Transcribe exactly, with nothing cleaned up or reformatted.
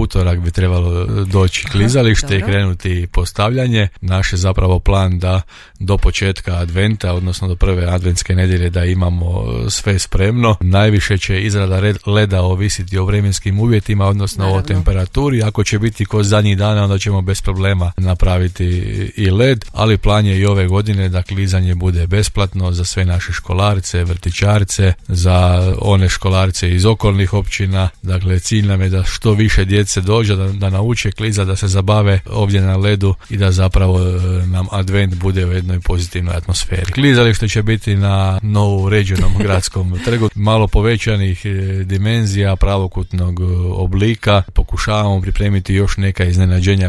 utorak bi trebalo doći klizalište Dobro. i krenuti postavljanje. Naš je zapravo plan da do početka adventa, odnosno do prve adventske nedjelje da imamo sve spremno. Najviše će izrada leda ovisiti o vremenskim uvjetima, odnosno Naravno. o temperaturi. Ako će biti ko zadnjih dana, onda ćemo bez problema napraviti i led, ali plan je i ove godine da klizanje bude besplatno za sve naše školarce, vrtićarce, za one školarce iz okolnih općina. Dakle, cilj nam je da što više djece dođe, da, da nauče klizati, da se zabave ovdje na ledu i da zapravo nam advent bude u jednoj pozitivnoj atmosferi. Klizalište će biti na novo uređenom gradskom trgu, malo povećanih dimenzija, pravokutnog oblika. Pokušavamo pripremiti još neka iznenađenja